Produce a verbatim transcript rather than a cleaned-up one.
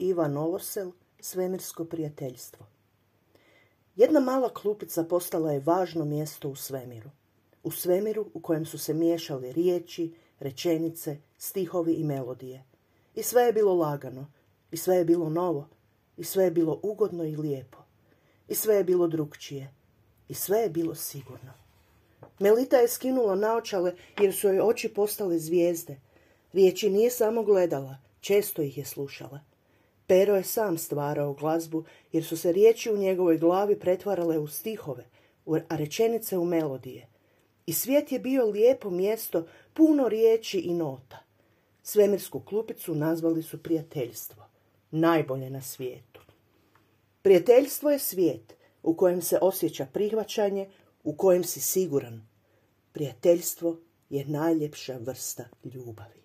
Iva Novosel, Svemirsko prijateljstvo. Jedna mala klupica postala je važno mjesto u svemiru. U svemiru u kojem su se miješali riječi, rečenice, stihovi i melodije. I sve je bilo lagano, i sve je bilo novo, i sve je bilo ugodno i lijepo. I sve je bilo drukčije, i sve je bilo sigurno. Melita je skinula naočale jer su joj oči postale zvijezde. Riječi nije samo gledala, često ih je slušala. Pero je sam stvarao glazbu jer su se riječi u njegovoj glavi pretvarale u stihove, a rečenice u melodije. I svijet je bio lijepo mjesto, puno riječi i nota. Svemirsku klupicu nazvali su prijateljstvo, najbolje na svijetu. Prijateljstvo je svijet u kojem se osjeća prihvaćanje, u kojem si siguran. Prijateljstvo je najljepša vrsta ljubavi.